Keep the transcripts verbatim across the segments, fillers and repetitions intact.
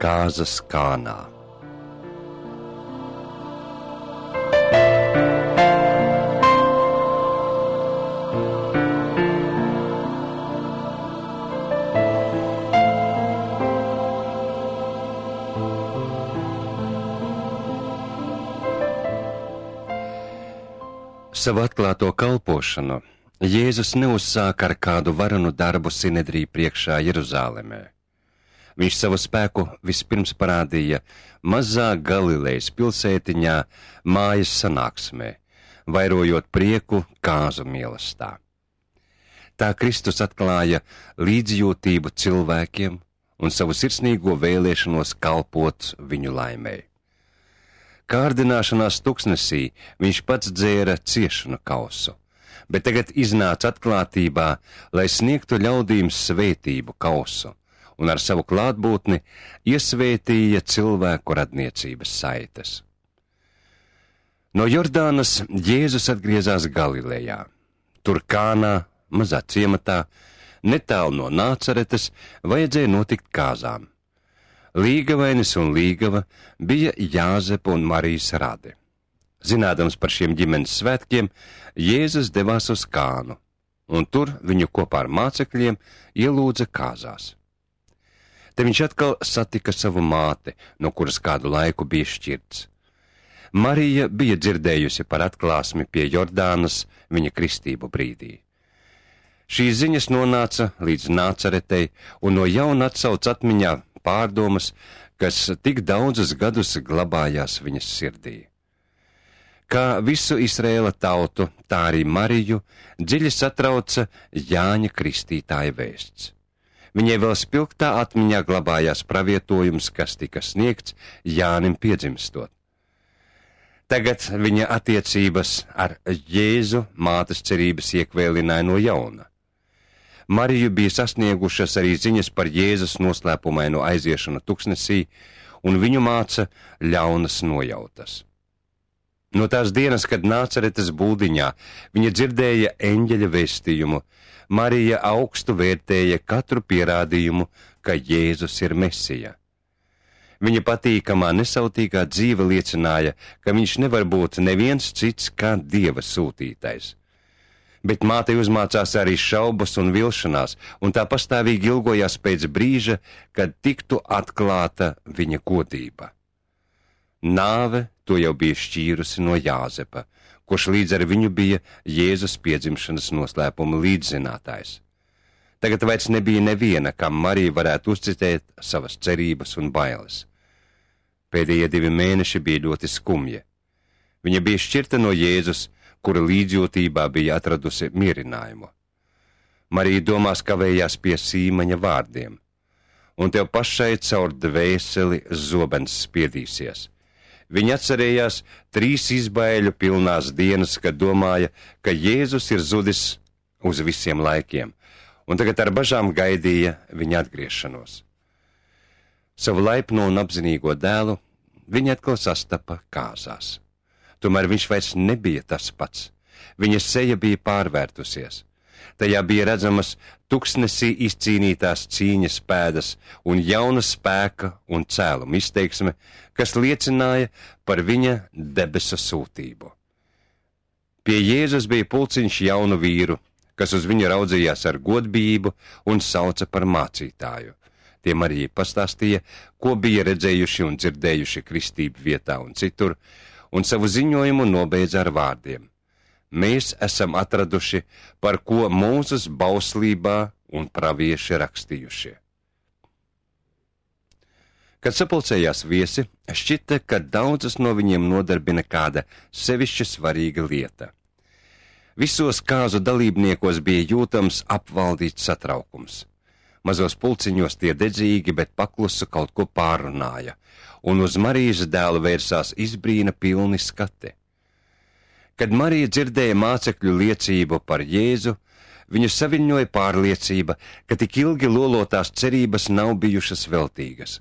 Kāzas Kānā. Savu atklāto kalpošanu Jēzus neuzsāka ar kādu varanu darbu Sinedrija priekšā Jeruzālemē. Viņš savu spēku vispirms parādīja mazā Galilejas pilsētiņā mājas sanāksmē, vairojot prieku kāzu mīlestā. Tā Kristus atklāja līdzjūtību cilvēkiem un savu sirsnīgo vēlēšanos kalpot viņu laimei. Kārdināšanās tuksnesī viņš pats dzēra ciešanu kausu, bet tagad iznāca atklātībā, lai sniegtu ļaudīm svētību kausu, un ar savu klātbūtni iesvētīja cilvēku radniecības saites. No Jordānas Jēzus atgriezās Galilejā. Tur Kānā, mazā ciematā, netālu no Nācaretes, vajadzēja notikt kāzām. Līgavainis un līgava bija Jāzepa un Marijas radi. Zinādams par šiem ģimenes svētkiem, Jēzus devās uz Kānu, un tur viņu kopā ar mācekļiem ielūdza kāzās. Te viņš atkal satika savu māti, no kuras kādu laiku bija šķirts. Marija bija dzirdējusi par atklāsmi pie Jordānas viņa kristību brīdī. Šīs ziņas nonāca līdz Nācaretei un no jauna atsauc atmiņā pārdomas, kas tik daudzus gadus glabājās viņas sirdī. Kā visu Izraēla tautu, tā arī Mariju dziļi satrauca Jāņa Kristītāja vēsts. Viņai vēl spilgtā atmiņā glabājās pravietojums, kas tika sniegts Jānim piedzimstot. Tagad viņa attiecības ar Jēzu mātes cerības iekvēlināja no jauna. Mariju bija sasniegušas arī ziņas par Jēzus noslēpumaino aiziešanu tuksnesī, un viņu māca ļaunas nojautas. No tās dienas, kad Nācaretes būdiņā viņa dzirdēja eņģeļa vēstījumu, Marija augstu vērtēja katru pierādījumu, ka Jēzus ir Mesija. Viņa patīkamā nesautīgā dzīve liecināja, ka viņš nevar būt neviens cits kā Dieva sūtītais. Bet mātei uzmācās arī šaubas un vilšanās, un tā pastāvīgi ilgojās pēc brīža, kad tiktu atklāta viņa godība. Nāve to jau bija šķīrusi no Jāzepa, kurš līdz ar viņu bija Jēzus piedzimšanas noslēpuma līdzzinātājs. Tagad vairs nebija neviena, kam Marija varētu uzticēt savas cerības un bailes. Pēdējie divi mēneši bija ļoti skumji. Viņa bija šķirta no Jēzus, kura līdzjūtībā bija atradusi mierinājumu. Marija domās kavējās pie Sīmaņa vārdiem, un tev pašai caur dvēseli zobens spiedīsies. Viņa atcerējās trīs izbaiļu pilnās dienas, kad domāja, ka Jēzus ir zudis uz visiem laikiem, un tagad ar bažām gaidīja viņa atgriešanos. Savu laipno un apzinīgo dēlu viņa atkal sastapa kāzās. Tomēr viņš vairs nebija tas pats. Viņa seja bija pārvērtusies. Tajā bija redzamas tuksnesī izcīnītās cīņas pēdas un jauna spēka un cēluma izteiksme, kas liecināja par viņa debesu sūtību. Pie Jēzus bija pulciņš jaunu vīru, kas uz viņu raudzījās ar godbijību un sauca par mācītāju. Tie Marija pastāstīja, ko bija redzējuši un dzirdējuši kristību vietā un citur, un savu ziņojumu nobeidza ar vārdiem: Mēs esam atraduši, par ko Mūzes bauslībā un pravieši rakstījušie. Kad sapulcējās viesi, šķita, ka daudzas no viņiem nodarbina kāda sevišķi svarīga lieta. Visos kāzu dalībniekos bija jūtams apvaldīts satraukums. Mazos pulciņos tie dedzīgi, bet paklusu kaut ko pārunāja, un uz Marijas dēlu vērsās izbrīna pilni skati. Kad Marija dzirdēja mācekļu liecību par Jēzu, viņu saviņoja pārliecība, ka tik ilgi lolotās cerības nav bijušas veltīgas.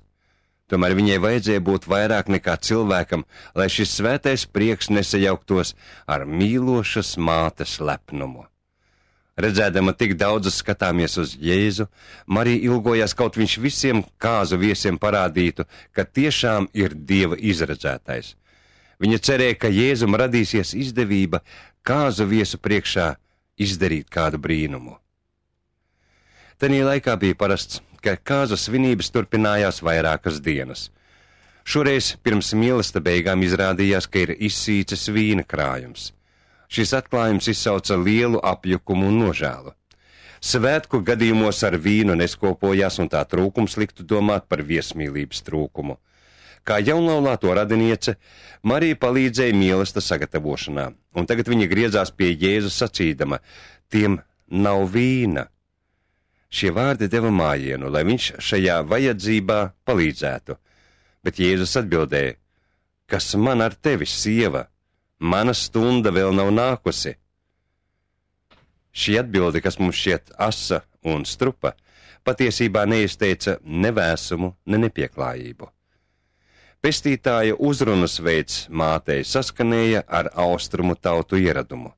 Tomēr viņai vajadzēja būt vairāk nekā cilvēkam, lai šis svētais prieks nesajauktos ar mīlošas mātes lepnumu. Redzēdama tik daudzus skatāmies uz Jēzu, Marija ilgojās, kaut viņš visiem kāzu viesiem parādītu, ka tiešām ir Dieva izredzētais. Viņa cerēja, ka Jēzum radīsies izdevība kāzu viesu priekšā izdarīt kādu brīnumu. Tanī laikā bija parasts, ka kāzu svinības turpinājās vairākas dienas. Šoreiz pirms mīlesta beigām izrādījās, ka ir izsīcis vīna krājums. Šis atklājums izsauca lielu apjukumu un nožēlu. Svētku gadījumos ar vīnu neskopojās, un tā trūkums liktu domāt par viesmīlības trūkumu. Kā jaunlaulāto radiniece, Marija palīdzēja mīlesta sagatavošanā, un tagad viņa griezās pie Jēzus sacīdama: tiem nav vīna. Šie vārdi deva mājienu, lai viņš šajā vajadzībā palīdzētu, bet Jēzus atbildēja: kas man ar tevi, sieva? Mana stunda vēl nav nākusi. Šī atbilde, kas mums šķiet asa un strupa, patiesībā neizteica ne vēsumu, ne nepieklājību. Pestītāja uzrunas veids mātei saskanēja ar austrumu tautu ieradumu.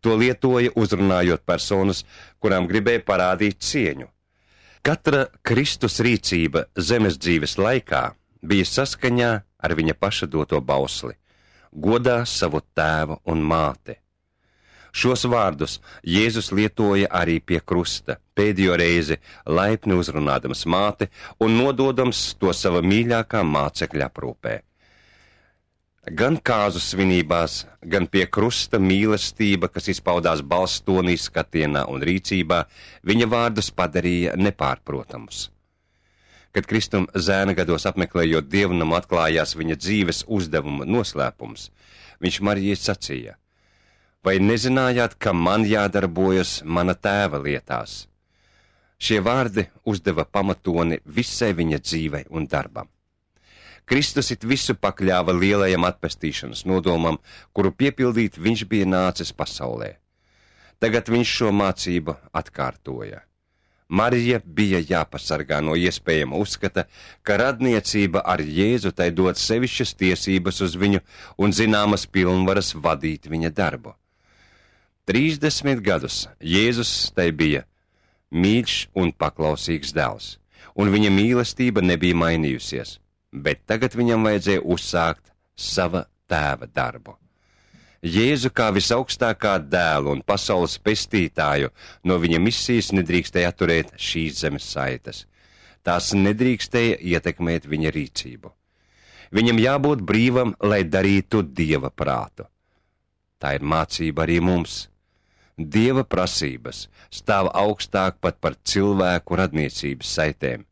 To lietoja uzrunājot personas, kurām gribēja parādīt cieņu. Katra Kristus rīcība zemes dzīves laikā bija saskaņā ar viņa paša doto bausli: godā savu tēvu un māti. Šos vārdus Jēzus lietoja arī pie krusta, pēdējo reizi laipni uzrunādams māti un nododams to sava mīļākā mācekļa aprūpē. Gan kāzu svinībās, gan pie krusta mīlestība, kas izpaudās balstonī, skatienā un rīcībā, viņa vārdus padarīja nepārprotamus. Kad Kristum zēna gados apmeklējot dievnamu atklājās viņa dzīves uzdevuma noslēpums, viņš Marijai sacīja: vai nezinājāt, ka man jādarbojas mana tēva lietās? Šie vārdi uzdeva pamatoni visai viņa dzīvei un darbam. Kristus it visu pakļāva lielajam atpestīšanas nodomam, kuru piepildīt viņš bija nācis pasaulē. Tagad viņš šo mācību atkārtoja. Marija bija jāpasargā no iespējama uzskata, ka radniecība ar Jēzu tai dod sevišķas tiesības uz viņu un zināmas pilnvaras vadīt viņa darbu. Trīsdesmit gadus Jēzus tai bija mīļš un paklausīgs dēls, un viņa mīlestība nebija mainījusies, bet tagad viņam vajadzēja uzsākt sava tēva darbu. Jēzu kā visaugstākā dēlu un pasaules pestītāju no viņa misijas nedrīkstēja atturēt šīs zemes saites. Tās nedrīkstēja ietekmēt viņa rīcību. Viņam jābūt brīvam, lai darītu Dieva prātu. Tā ir mācība arī mums. Dieva prasības stāv augstāk pat par cilvēku radniecības saitēm.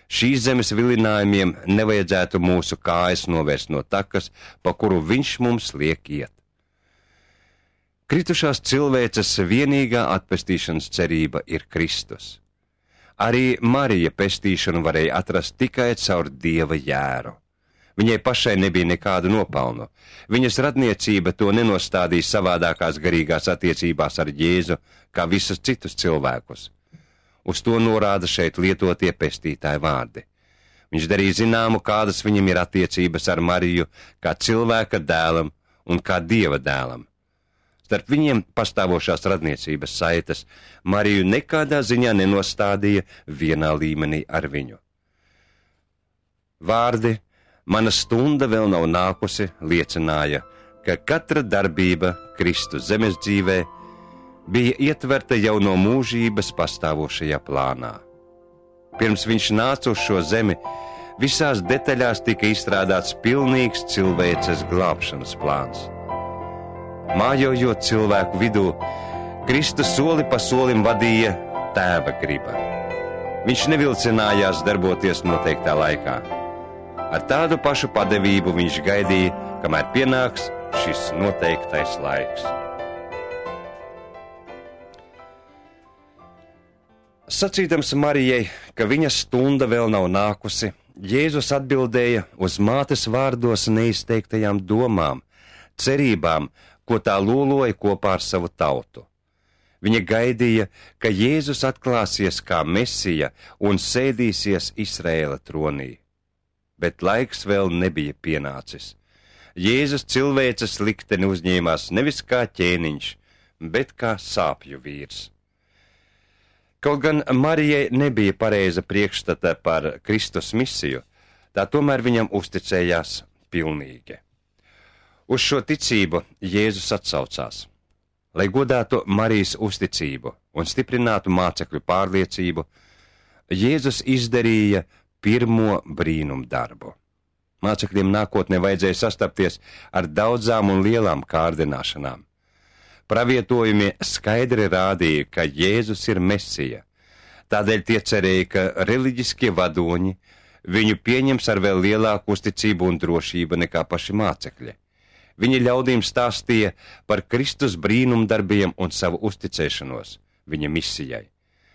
Šīs zemes vilinājumiem nevajadzētu mūsu kājas novērst no takas, pa kuru viņš mums liek iet. Kritušās cilvēces vienīgā atpestīšanas cerība ir Kristus. Arī Marija pestīšanu varēja atrast tikai caur Dieva jēru. Viņai pašai nebija nekādu nopelnu. Viņas radniecība to nenostādīja savādākās garīgās attiecībās ar Jēzu, kā visus citus cilvēkus. Uz to norāda šeit lietotie pestītāji vārdi. Viņš darīja zināmu, kādas viņam ir attiecības ar Mariju, kā cilvēka dēlam un kā Dieva dēlam. Starp viņiem pastāvošās radniecības saites Mariju nekādā ziņā nenostādīja vienā līmenī ar viņu. Vārdi "mana stunda vēl nav nākusi" liecināja, ka katra darbība Kristus zemes dzīvē bija ietverta jau no mūžības pastāvošajā plānā. Pirms viņš nāca uz šo zemi, visās detaļās tika izstrādāts pilnīgs cilvēces glābšanas plāns. Mājojot cilvēku vidū, Kristus soli pa solim vadīja tēva griba. Viņš nevilcinājās darboties noteiktā laikā. Ar tādu pašu padevību viņš gaidīja, kamēr pienāks šis noteiktais laiks. Sacīdams Marijai, ka viņa stunda vēl nav nākusi, Jēzus atbildēja uz mātes vārdos neizteiktajām domām, cerībām, ko tā lūloja kopā ar savu tautu. Viņa gaidīja, ka Jēzus atklāsies kā Mesija un sēdīsies Izraēla tronī. Bet laiks vēl nebija pienācis. Jēzus cilvēces likteni uzņēmās nevis kā ķēniņš, bet kā sāpju vīrs. Kaut gan Marijai nebija pareiza priekšstata par Kristus misiju, tā tomēr viņam uzticējās pilnīgi. Uz šo ticību Jēzus atsaucās. Lai godātu Marijas uzticību un stiprinātu mācekļu pārliecību, Jēzus izdarīja pirmo brīnumu darbu. Mācekļiem nākotnē vajadzēja sastapties ar daudzām un lielām kārdināšanām. Pravietojumi skaidri rādīja, ka Jēzus ir Mesija. Tādēļ tie cerēja, ka reliģiskie vadoņi viņu pieņems ar vēl lielāku uzticību un drošību nekā paši mācekļi. Viņi ļaudīm stāstīja par Kristus brīnumdarbiem un savu uzticēšanos viņa misijai,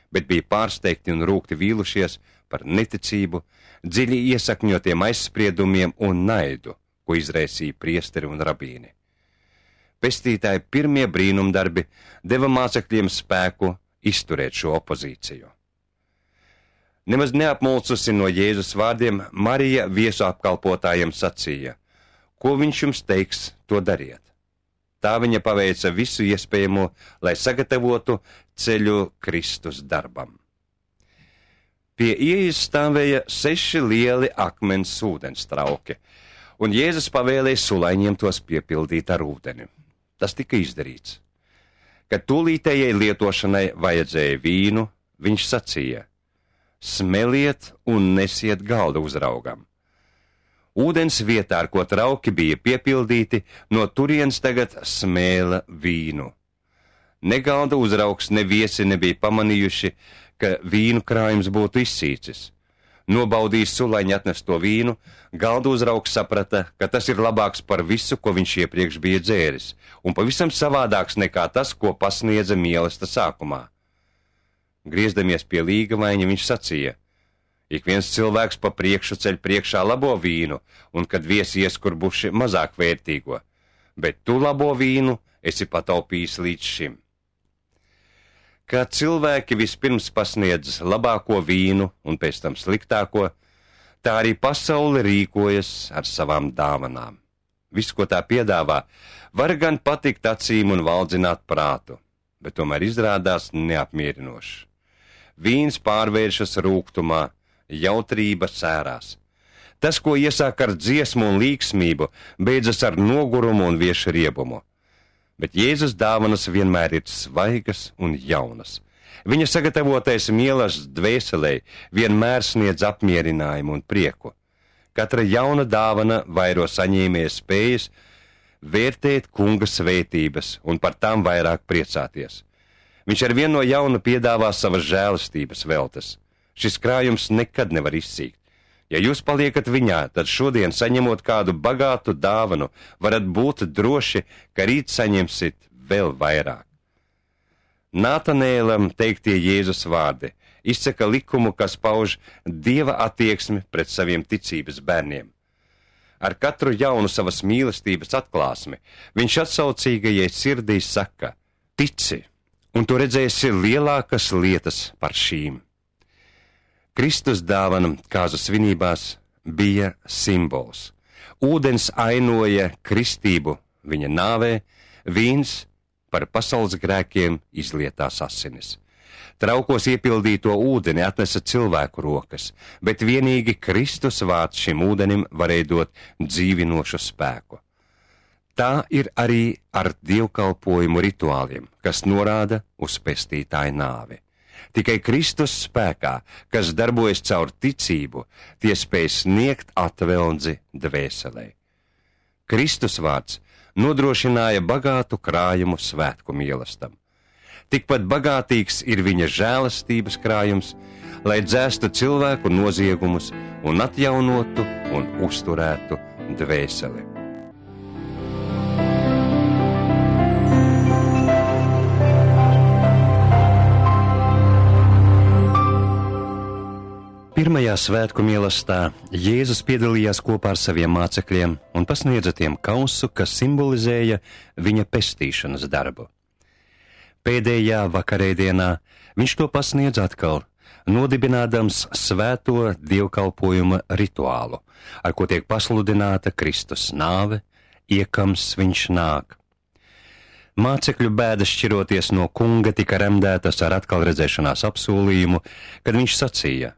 bet bija pārsteigti un rūgti vīlušies par neticību, dziļi iesakņotiem aizspriedumiem un naidu, ko izraisīja priesteri un rabīni. Pestītāji pirmie brīnumdarbi deva mācekļiem spēku izturēt šo opozīciju. Nemaz neapmulsusi no Jēzus vārdiem, Marija viesu apkalpotājiem sacīja: ko viņš jums teiks, to dariet. Tā viņa paveica visu iespējamo, lai sagatavotu ceļu Kristus darbam. Pie ieejas stāvēja seši lieli akmens ūdens trauki, un Jēzus pavēlēja sulaiņiem tos piepildīt ar ūdeni. Tas tika izdarīts. Kad tūlītējai lietošanai vajadzēja vīnu, viņš sacīja: smeliet un nesiet galda uzraugam. Ūdens vietā, ar ko trauki bija piepildīti, no turienes tagad smēla vīnu. Ne galda uzraugs, ne viesi nebija pamanījuši, ka vīnu krājums būtu izsīcis. Nobaudījis sulaiņi atnesto vīnu, galda uzraugs saprata, ka tas ir labāks par visu, ko viņš iepriekš bija dzēris, un pavisam savādāks nekā tas, ko pasniedza mīlesta sākumā. Griezdamies pie līgavaiņa, viņš sacīja: ik viens cilvēks pa priekšu ceļ priekšā labo vīnu, un kad viesi ieskurbuši mazāk vērtīgo, bet tu labo vīnu esi pataupījis līdz šim. Kā cilvēki vispirms pasniedz labāko vīnu un pēc tam sliktāko, tā arī pasaule rīkojas ar savām dāvanām. Viss, ko tā piedāvā, var gan patikt acīm un valdzināt prātu, bet tomēr izrādās neapmierinošs. Vīns pārvēršas rūgtumā, jautrība sērās. Tas, ko iesāk ar dziesmu un līksmību, beidzas ar nogurumu un vieša riebumu. Bet Jēzus dāvanas vienmēr ir svaigas un jaunas. Viņa sagatavotais mielas dvēselē vienmēr sniedz apmierinājumu un prieku. Katra jauna dāvana vairo saņēmēja spējas vērtēt kunga svētības un par tām vairāk priecāties. Viņš ar vienu no jauna piedāvā savas žēlastības veltes. Šis krājums nekad nevar izsīkt. Ja jūs paliekat viņā, tad šodien, saņemot kādu bagātu dāvanu, varat būt droši, ka rīt saņemsit vēl vairāk. Nātanēlam teiktie Jēzus vārdi izsaka likumu, kas pauž Dieva attieksmi pret saviem ticības bērniem. Ar katru jaunu savas mīlestības atklāsmi viņš atsaucīgajai sirdī saka: tici, un tu redzēsi lielākas lietas par šīm. Kristus dāvana kāzu svinībās bija simbols. Ūdens ainoja kristību viņa nāvē, vīns par pasaules grēkiem izlietās asinis. Traukos iepildīto ūdeni atnesa cilvēku rokas, bet vienīgi Kristus vārds šim ūdenim varēja dot dzīvinošu spēku. Tā ir arī ar dievkalpojumu rituāliem, kas norāda uz pestītāju nāvi. Tikai Kristus spēkā, kas darbojas caur ticību, tie spēj sniegt atveldzi dvēselē. Kristus vārds nodrošināja bagātu krājumu svētku mīlestam. Tikpat bagātīgs ir viņa žēlastības krājums, lai dzēstu cilvēku noziegumus un atjaunotu un uzturētu dvēseli. Pirmajā svētku mīlestā Jēzus piedalījās kopā ar saviem mācekļiem un pasniedza tiem kausu, kas simbolizēja viņa pestīšanas darbu. Pēdējā vakarēdienā viņš to pasniedz atkal, nodibinādams svēto dievkalpojuma rituālu, ar ko tiek pasludināta Kristus nāve, iekams viņš nāk. Mācekļu bēdas šķiroties no kunga tika remdētas ar atkal redzēšanās apsolījumu, kad viņš sacīja: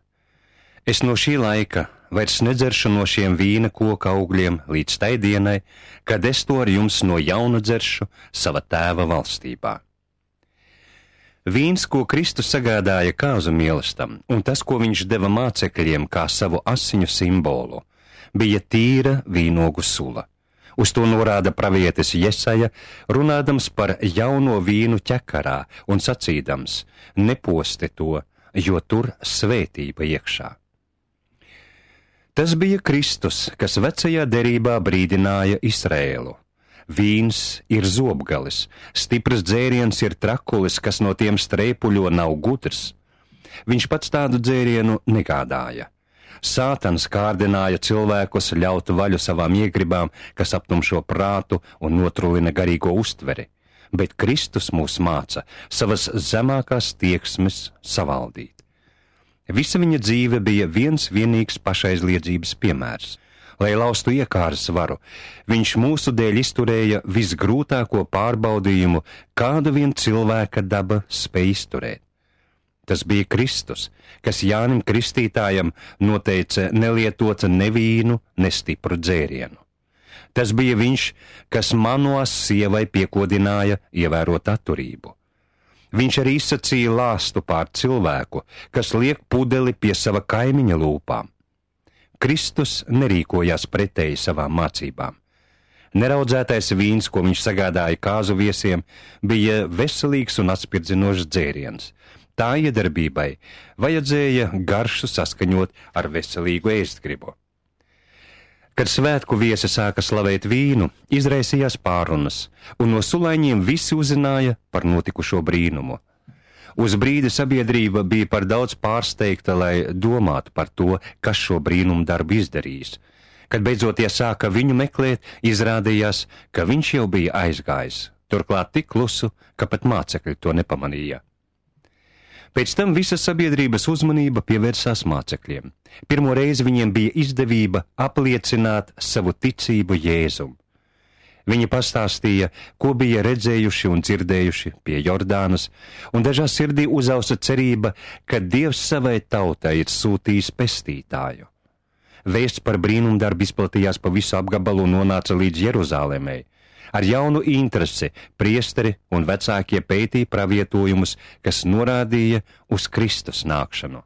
Es no šī laika vairs nedzeršu no šiem vīna koka augļiem līdz tai dienai, kad es to ar jums no jauna dzeršu sava tēva valstībā. Vīns, ko Kristus sagādāja kāzu mīlestam, un tas, ko viņš deva mācekļiem kā savu asiņu simbolu, bija tīra vīnogu sula. Uz to norāda pravietis Jesaja, runādams par jauno vīnu ķekarā un sacīdams: Neposti to, jo tur svētība iekšā. Tas bija Kristus, kas vecajā derībā brīdināja Izraēlu. Vīns ir zobgalis, stiprs dzēriens ir trakulis, kas no tiem streipuļo nav gudrs. Viņš pats tādu dzērienu negādāja. Sātans kārdināja cilvēkus ļaut vaļu savām iegribām, kas aptumšo prātu un notrulina garīgo uztveri, bet Kristus mūs māca savas zemākās tieksmes savaldīt. Visa viņa dzīve bija viens vienīgs pašaizliedzības piemērs. Lai laustu iekāras varu, viņš mūsu dēļ izturēja visgrūtāko pārbaudījumu, kādu vien cilvēka daba spēj izturēt. Tas bija Kristus, kas Jānim Kristītājam noteica nelietot ne vīnu, ne stipru dzērienu. Tas bija viņš, kas Manoas sievai piekodināja ievērot atturību. Viņš arī izsacīja lāstu pār cilvēku, kas liek pudeli pie sava kaimiņa lūpām. Kristus nerīkojās pretēji savām mācībām. Neraudzētais vīns, ko viņš sagādāja kāzu viesiem, bija veselīgs un atspirdzinošs dzēriens. Tā iedarbībai vajadzēja garšu saskaņot ar veselīgu ēstgribu. Kad svētku viesi sāka slavēt vīnu, izraisījās pārunas, un no sulaiņiem visi uzzināja par notikušo brīnumu. Uz brīdi sabiedrība bija par daudz pārsteigta, lai domātu par to, kas šo brīnumu darbu izdarījis. Kad beidzot tie sāka viņu meklēt, izrādījās, ka viņš jau bija aizgājis, turklāt tik klusu, ka pat mācekļi to nepamanīja. Pēc tam visa sabiedrības uzmanība pievērsās mācekļiem. Pirmo reizi viņiem bija izdevība apliecināt savu ticību Jēzum. Viņi pastāstīja, ko bija redzējuši un dzirdējuši pie Jordānas, un dažās sirdī uzausa cerība, ka Dievs savai tautai ir sūtījis pestītāju. Vēsts par brīnumdarbu izplatījās pa visu apgabalu un nonāca līdz Jeruzālēmei. Ar jaunu interesi priesteri un vecākie pētīja pravietojumus, kas norādīja uz Kristus nākšanu.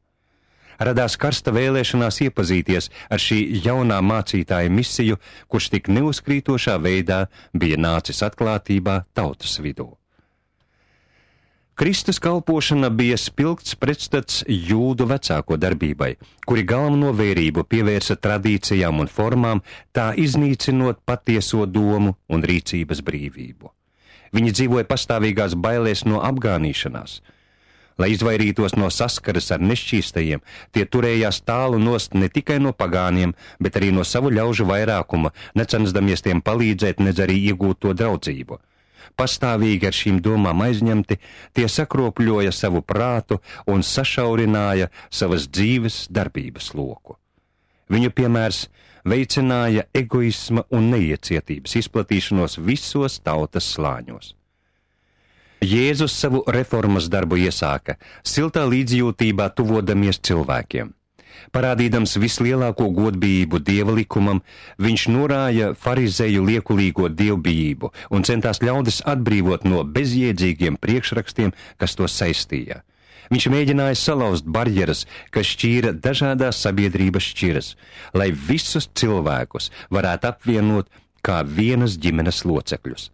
Radās karsta vēlēšanās iepazīties ar šī jaunā mācītāja misiju, kurš tik neuzkrītošā veidā bija nācis atklātībā tautas vidū. Kristus kalpošana bija spilgts pretstats jūdu vecāko darbībai, kuri galveno vērību pievērsa tradīcijām un formām, tā iznīcinot patieso domu un rīcības brīvību. Viņi dzīvoja pastāvīgās bailēs no apgānīšanās. Lai izvairītos no saskares ar nešķīstajiem, tie turējās tālu nost ne tikai no pagāniem, bet arī no savu ļaužu vairākuma, necensdamies tiem palīdzēt, nedz arī iegūt to draudzību. Pastāvīgi ar šīm domām aizņemti, tie sakropļoja savu prātu un sašaurināja savas dzīves darbības loku. Viņu piemērs veicināja egoisma un neiecietības izplatīšanos visos tautas slāņos. Jēzus savu reformas darbu iesāka, siltā līdzjūtībā tuvodamies cilvēkiem. Parādīdams vislielāko godbijību dieva likumam, viņš norāja farizēju liekulīgo dievbijību un centās ļaudis atbrīvot no bezjēdzīgiem priekšrakstiem, kas to saistīja. Viņš mēģināja salauzt barjeras, kas šķīra dažādās sabiedrības šķiras, lai visus cilvēkus varētu apvienot kā vienas ģimenes locekļus.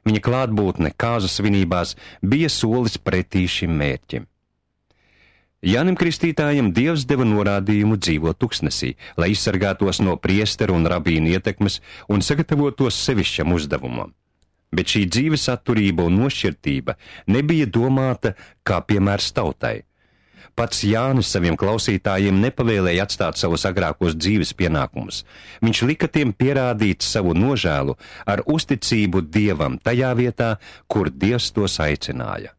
Viņa klātbūtne kāzu svinībās bija solis pretī šim mērķim. Jānim Kristītājam Dievs deva norādījumu dzīvot tuksnesī, lai izsargātos no priesteru un rabīnu ietekmes un sagatavotos sevišķam uzdevumam. Bet šī dzīves atturība un nošķirtība nebija domāta kā piemērs tautai. Pats Jānis saviem klausītājiem nepavēlēja atstāt savus agrākos dzīves pienākumus. Viņš lika tiem pierādīt savu nožēlu ar uzticību Dievam tajā vietā, kur Dievs tos aicināja.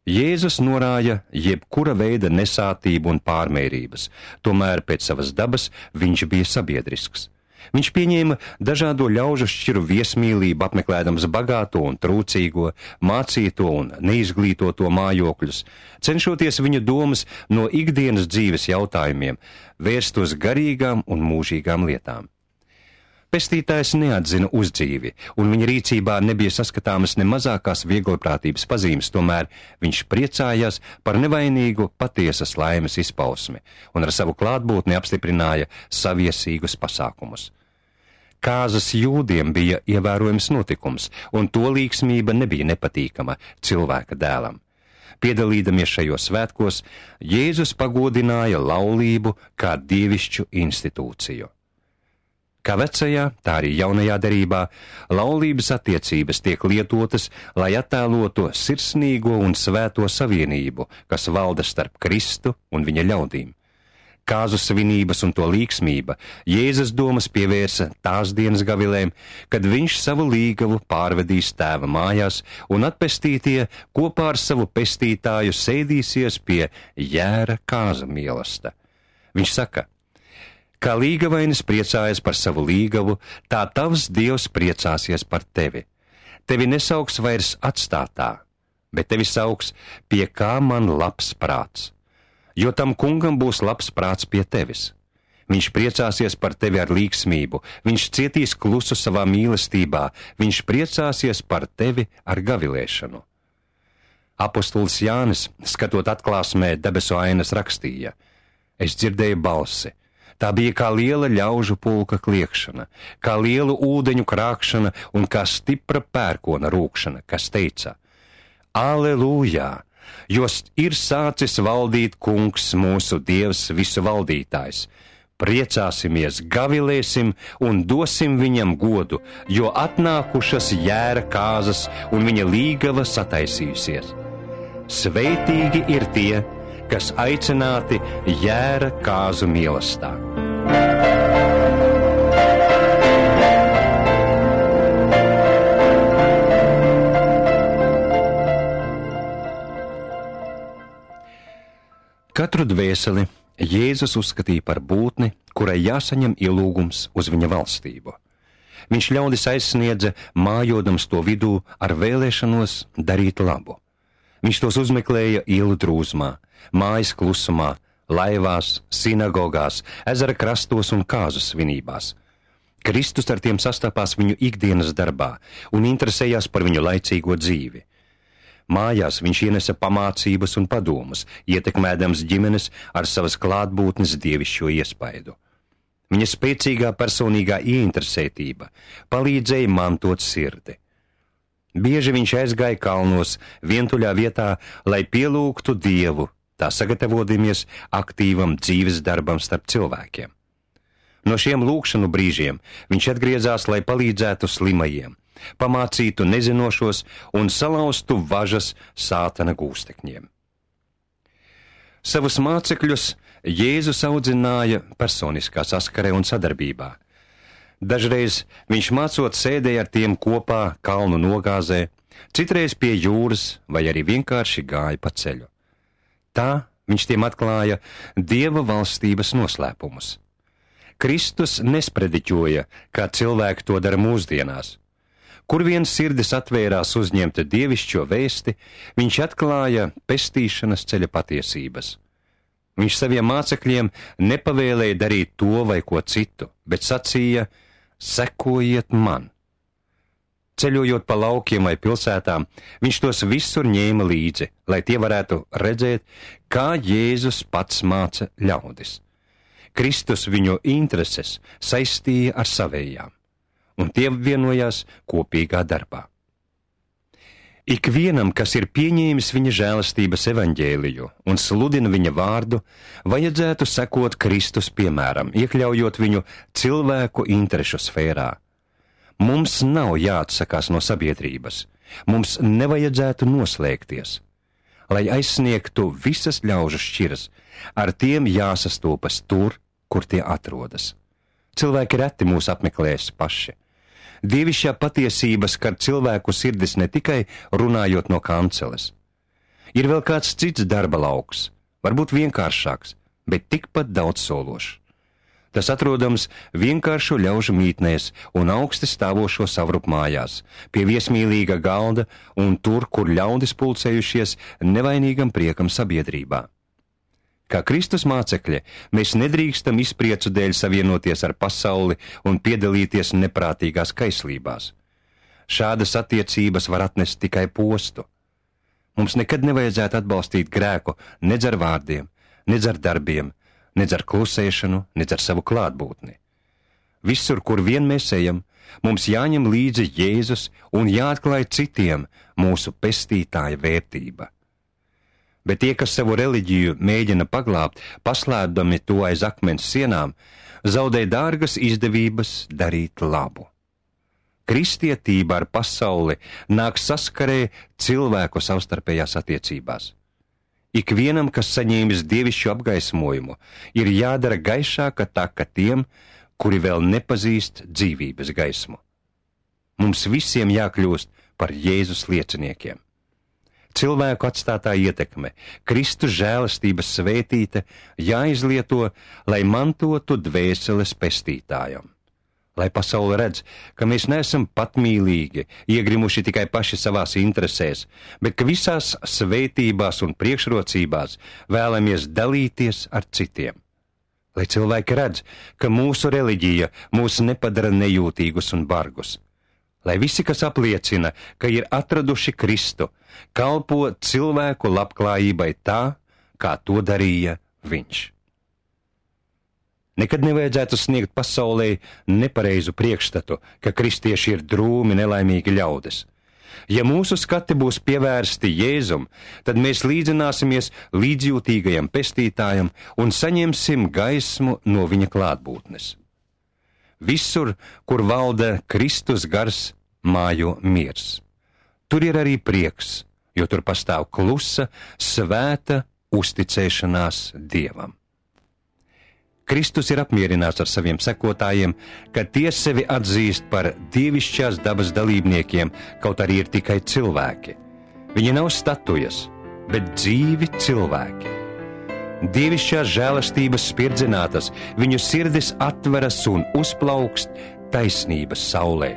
Jēzus norāja jebkura veida nesātību un pārmērības, tomēr pēc savas dabas viņš bija sabiedrisks. Viņš pieņēma dažādo ļaužu šķiru viesmīlību, apmeklēdams bagāto un trūcīgo, mācīto un neizglītoto mājokļus, cenšoties viņu domas no ikdienas dzīves jautājumiem vērst uz garīgām un mūžīgām lietām. Pestītājs neatzina uzdzīvi, un viņa rīcībā nebija saskatāmas ne mazākās vieglprātības pazīmes, tomēr viņš priecājās par nevainīgu patiesas laimes izpausmi un ar savu klātbūtni apstiprināja saviesīgus pasākumus. Kāzas jūdiem bija ievērojams notikums, un to līksmība nebija nepatīkama cilvēka dēlam. Piedalīdamies šajos svētkos, Jēzus pagodināja laulību kā dievišķu institūciju. Kā vecajā, tā arī jaunajā derībā, laulības attiecības tiek lietotas, lai attēlotu sirsnīgo un svēto savienību, kas valda starp Kristu un viņa ļaudīm. Kāzu svinības un to līksmība Jēzus domas pievērsa tās dienas gavilēm, kad viņš savu līgavu pārvedīs tēva mājās, un atpestītie kopā ar savu pestītāju sēdīsies pie jēra kāza mīlesta. Viņš saka: kā līgavainis priecājas par savu līgavu, tā tavs Dievs priecāsies par tevi. Tevi nesauks vairs atstātā, bet tevi sauks pie kā man labs prāts. Jo tam kungam būs labs prāts pie tevis. Viņš priecāsies par tevi ar līksmību, viņš cietīs klusu savā mīlestībā, viņš priecāsies par tevi ar gavilēšanu. Apostols Jānis, skatot atklāsmē debesu ainas, rakstīja: es dzirdēju balsi. Tā bija kā liela ļaužu pulka kliekšana, kā lielu ūdeņu krākšana un kā stipra pērkona rūkšana, kas teica: Aleluja! Jo ir sācis valdīt kungs, mūsu Dievs visu valdītājs. Priecāsimies, gavilēsim un dosim viņam godu, jo atnākušas jēra kāzas un viņa līgava sataisījusies. Sveitīgi ir tie, kas aicināti jēra kāzu mīlestā. Katru dvēseli Jēzus uzskatīja par būtni, kurai jāsaņem ielūgums uz viņa valstību. Viņš ļaudis aizsniedza, mājodams to vidū ar vēlēšanos darīt labu. Viņš tos uzmeklēja ielu drūzmā, mājas klusumā, laivās, sinagogās, ezera krastos un kāzu svinībās. Kristus ar tiem sastapās viņu ikdienas darbā un interesējās par viņu laicīgo dzīvi. Mājās viņš ienesa pamācības un padomus, ietekmēdams ģimenes ar savas klātbūtnes dievišķo iespaidu. Viņa spēcīgā personīgā ieinteresētība palīdzēja mantot sirdi. Bieži viņš aizgāja kalnos, vientuļā vietā, lai pielūgtu Dievu, tā sagatavodamies aktīvam dzīves darbam starp cilvēkiem. No šiem lūgšanu brīžiem viņš atgriezās, lai palīdzētu slimajiem, pamācītu nezinošos un salauztu važas sātana gūstekņiem. Savus mācekļus Jēzus audzināja personiskā saskarē un sadarbībā. Dažreiz viņš mācot sēdēja ar tiem kopā kalnu nogāzē, citreiz pie jūras vai arī vienkārši gāja pa ceļu. Tā viņš tiem atklāja Dieva valstības noslēpumus. Kristus nesprediķoja, kā cilvēki to dara mūsdienās. Kur vien sirdis atvērās uzņemt dievišķo vēsti, viņš atklāja pestīšanas ceļa patiesības. Viņš saviem mācekļiem nepavēlēja darīt to vai ko citu, bet sacīja: sekojiet man. Ceļojot pa laukiem vai pilsētām, viņš tos visur ņēma līdzi, lai tie varētu redzēt, kā Jēzus pats māca ļaudis. Kristus viņu intereses saistīja ar savējām, un tie vienojās kopīgā darbā. Ikvienam, kas ir pieņēmis viņa žēlastības evaņģēliju un sludina viņa vārdu, vajadzētu sekot Kristus piemēram, iekļaujot viņu cilvēku interešu sfērā. Mums nav jāatsakās no sabiedrības, mums nevajadzētu noslēgties. Lai aizsniegtu visas ļaužu šķiras, ar tiem jāsastopas tur, kur tie atrodas. Cilvēki reti mūs apmeklēs paši. Dievišķā patiesība skar cilvēku sirdis ne tikai runājot no kanceles. Ir vēl kāds cits darba lauks, varbūt vienkāršāks, bet tikpat daudz sološs. Tas atrodams vienkāršu ļaužu mītnēs un augsti stāvošo savrupmājās, pie viesmīlīga galda un tur, kur ļaudis pulcējušies nevainīgam priekam sabiedrībā. Kā Kristus mācekļi, mēs nedrīkstam izpriecu dēļ savienoties ar pasauli un piedalīties neprātīgās kaislībās. Šādas attiecības var atnest tikai postu. Mums nekad nevajadzētu atbalstīt grēku nedz ar vārdiem, nedz ar darbiem, nedz ar klusēšanu, nedz ar savu klātbūtni. Visur, kur vien mēs ejam, mums jāņem līdzi Jēzus un jāatklāj citiem mūsu pestītāja vērtība. Bet tie, kas savu reliģiju mēģina paglābt, paslēpdami to aiz akmens sienām, zaudē dārgas izdevības darīt labu. Kristietība ar pasauli nāk saskarē cilvēku savstarpējās attiecībās. Ikvienam, kas saņēmis dievišķu apgaismojumu, ir jādara gaišāka taka tiem, kuri vēl nepazīst dzīvības gaismu. Mums visiem jākļūst par Jēzus lieciniekiem. Cilvēku atstātā ietekme, Kristus žēlastības svētīte jāizlieto, lai mantotu dvēseles pestītājam. Lai pasaule redz, ka mēs neesam patmīlīgi, iegrimuši tikai paši savās interesēs, bet ka visās svētībās un priekšrocībās vēlamies dalīties ar citiem. Lai cilvēki redz, ka mūsu reliģija mūs nepadara nejūtīgus un bargus. Lai visi, kas apliecina, ka ir atraduši Kristu, kalpo cilvēku labklājībai tā, kā to darīja viņš. Nekad nevajadzētu sniegt pasaulē nepareizu priekšstatu, ka kristieši ir drūmi, nelaimīgi ļaudis. Ja mūsu skati būs pievērsti Jēzum, tad mēs līdzināsimies līdzjūtīgajam pestītājam un saņemsim gaismu no viņa klātbūtnes. Visur, kur valda Kristus gars, mājo miers. Tur ir arī prieks, jo tur pastāv klusa, svēta uzticēšanās Dievam. Kristus ir apmierināts ar saviem sekotājiem, ka tie sevi atzīst par dievišķās dabas dalībniekiem, kaut arī ir tikai cilvēki. Viņi nav statujas, bet dzīvi cilvēki. Dievišķās žēlastības spirdzinātas, viņu sirdis atveras un uzplaukst taisnības saulē.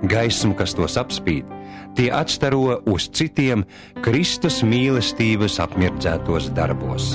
Gaismu, kas tos apspīd, tie atstaro uz citiem Kristus mīlestības apmirdzētos darbos.